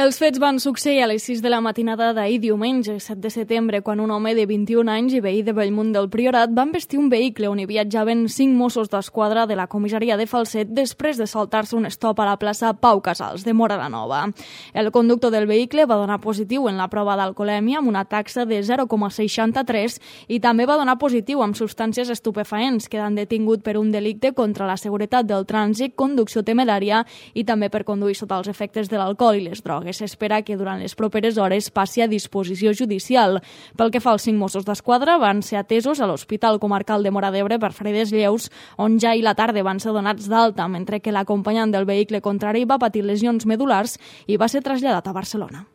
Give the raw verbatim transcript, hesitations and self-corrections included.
Els fets van succeir a les sis de la matinada d'ahir diumenge, set de setembre, quan un home de vint-i-un anys i veí de Bellmunt del Priorat va embestir un vehicle on hi viatjaven cinc Mossos d'Esquadra de la comissaria de Falset després de saltar-se un stop a la plaça Pau Casals, de Móra la Nova. El conductor del vehicle va donar positiu en la prova d'alcoholèmia amb una taxa de zero coma seixanta-tres i també va donar positiu amb substàncies estupefaents, quedant detingut per un delicte contra la seguretat del trànsit, conducció temerària i també per conduir sota els efectes de l'alcohol i les drogues. S'espera que durant les properes hores passi a disposició judicial. Pel que fa als cinc Mossos d'Esquadra, van ser atesos a l'Hospital Comarcal de Móra d'Ebre per ferides lleus, on ja ahir la tarda van ser donats d'alta, mentre que l'acompanyant del vehicle contrari va patir lesions medul·lars i va ser traslladat a Barcelona.